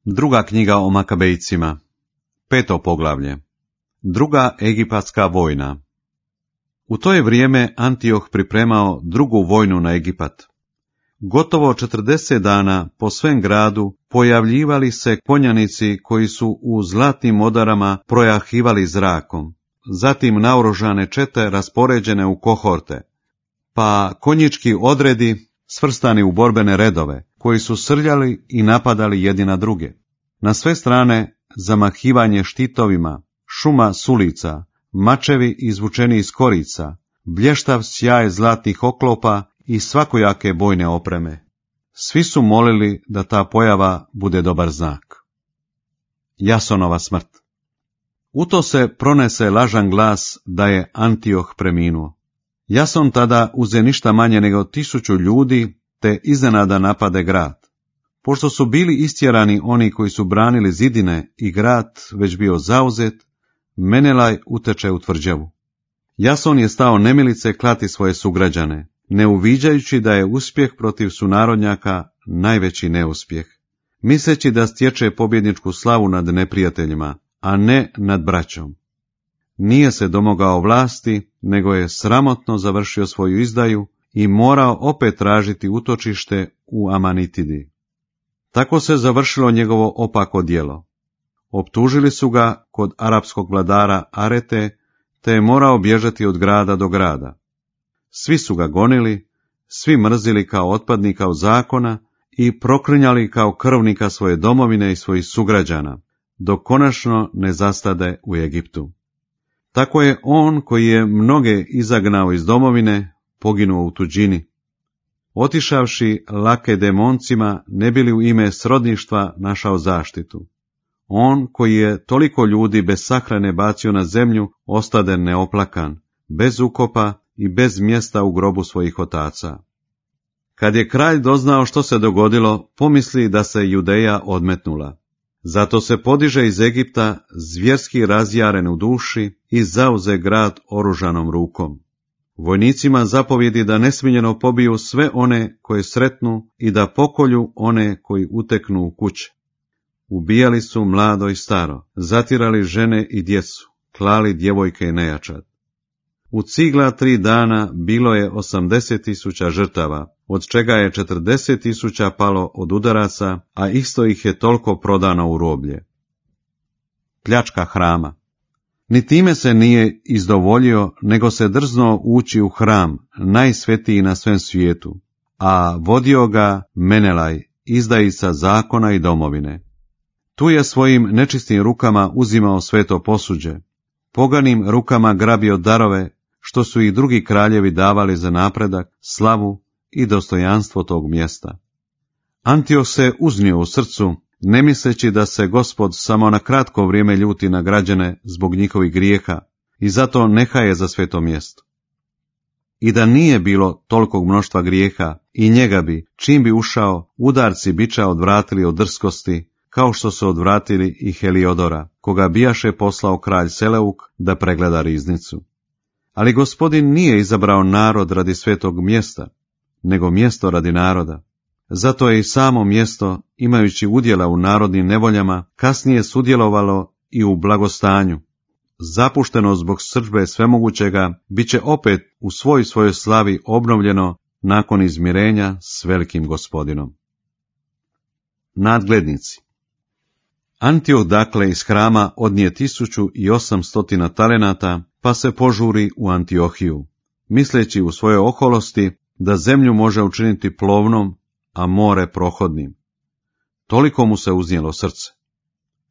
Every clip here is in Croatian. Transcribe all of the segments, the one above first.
Druga knjiga o Makabejcima, 5. poglavlje. Druga egipatska vojna. U to je vrijeme Antioh pripremao drugu vojnu na Egipat. Gotovo 40 dana po svem gradu pojavljivali se konjanici koji su u zlatnim odarama projahivali zrakom, zatim naoružane čete raspoređene u kohorte, pa konjički odredi svrstani u borbene redove, koji su srljali i napadali jedni na druge. Na sve strane zamahivanje štitovima, šuma sulica, mačevi izvučeni iz korica, blještav sjaj zlatnih oklopa i svakojake bojne opreme. Svi su molili da ta pojava bude dobar znak. Jasonova smrt. U to se pronese lažan glas da je Antioh preminuo. Jason tada uze ništa manje nego 1000 ljudi, te iznenada napade grad. Pošto su bili istjerani oni koji su branili zidine i grad već bio zauzet, Menelaj uteče u tvrđavu. Jason je stao nemilice klati svoje sugrađane, ne uviđajući da je uspjeh protiv sunarodnjaka najveći neuspjeh, misleći da stječe pobjedničku slavu nad neprijateljima, a ne nad braćom. Nije se domogao vlasti, nego je sramotno završio svoju izdaju i morao opet tražiti utočište u Amanitidi. Tako se završilo njegovo opako djelo. Optužili su ga kod arapskog vladara Arete, te je morao bježati od grada do grada. Svi su ga gonili, svi mrzili kao otpadnika od zakona i proklinjali kao krvnika svoje domovine i svojih sugrađana, dok konačno ne zastade u Egiptu. Tako je on koji je mnoge izagnao iz domovine, poginuo u tuđini. Otišavši Lakedemoncima, ne bi li u ime srodništva našao zaštitu. On koji je toliko ljudi bez sahrane bacio na zemlju, ostade neoplakan, bez ukopa i bez mjesta u grobu svojih otaca. Kad je kralj doznao što se dogodilo, pomisli da se Judeja odmetnula. Zato se podiže iz Egipta zvjerski razjaren u duši i zauze grad oružanom rukom. Vojnicima zapovjedi da nesmiljeno pobiju sve one koje sretnu i da pokolju one koji uteknu u kuće. Ubijali su mlado i staro, zatirali žene i djecu, klali djevojke i nejačad. U cigla 3 dana bilo je 80.000 žrtava, od čega je 40.000 palo od udaraca, a isto ih je toliko prodano u roblje. Pljačka hrama. Ni time se nije izdovoljio, nego se drznuo ući u hram, najsvetiji na svem svijetu, a vodio ga Menelaj, izdajica zakona i domovine. Tu je svojim nečistim rukama uzimao sveto posuđe, poganim rukama grabio darove, što su ih drugi kraljevi davali za napredak, slavu i dostojanstvo tog mjesta. Antioh se uznio u srcu, ne misleći da se Gospod samo na kratko vrijeme ljuti na građane zbog njihovih grijeha i zato nehaje za sveto mjesto. I da nije bilo tolikog mnoštva grijeha, i njega bi, čim bi ušao, udarci biča odvratili od drskosti, kao što su odvratili i Heliodora, koga bijaše poslao kralj Seleuk da pregleda riznicu. Ali Gospodin nije izabrao narod radi svetog mjesta, nego mjesto radi naroda. Zato je i samo mjesto, imajući udjela u narodnim nevoljama, kasnije sudjelovalo i u blagostanju. Zapušteno zbog srdžbe svemogućega, bit će opet u svojoj slavi obnovljeno nakon izmirenja s velikim Gospodinom. Nadglednici. Antioh dakle iz hrama odnije 1800 talenata, pa se požuri u Antiohiju, misleći u svojoj oholosti da zemlju može učiniti plovnom, a more prohodnim. Toliko mu se uznijelo srce.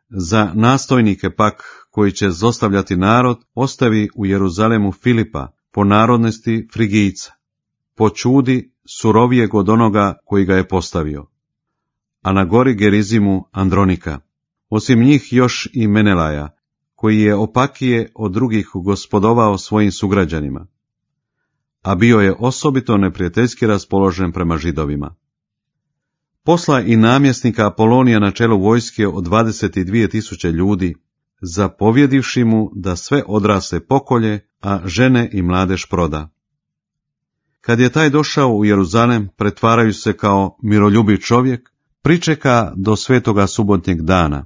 Za nastojnike pak, koji će zlostavljati narod, ostavi u Jeruzalemu Filipa, po narodnosti Frigijca, po čudi surovijeg od onoga koji ga je postavio, a na gori Gerizimu Andronika. Osim njih još i Menelaja, koji je opakije od drugih gospodovao svojim sugrađanima, a bio je osobito neprijateljski raspoložen prema Židovima. Posla i namjesnika Apolonija na čelu vojske od 22.000 ljudi, zapovjedivši mu da sve odrasle pokolje, a žene i mladež proda. Kad je taj došao u Jeruzalem, pretvaraju se kao miroljubiv čovjek, pričeka do svetoga subotnjeg dana.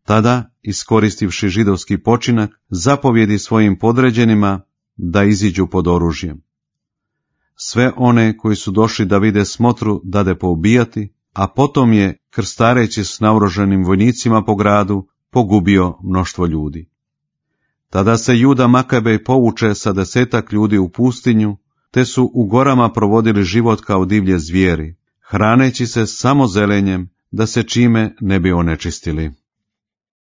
Tada, iskoristivši židovski počinak, zapovjedi svojim podređenima da iziđu pod oružjem. Sve one koji su došli da vide smotru dade poubijati, a potom je, krstareći s naoružanim vojnicima po gradu, pogubio mnoštvo ljudi. Tada se Juda Makabej povuče sa 10 ljudi u pustinju, te su u gorama provodili život kao divlje zvijeri, hraneći se samo zelenjem, da se čime ne bi onečistili.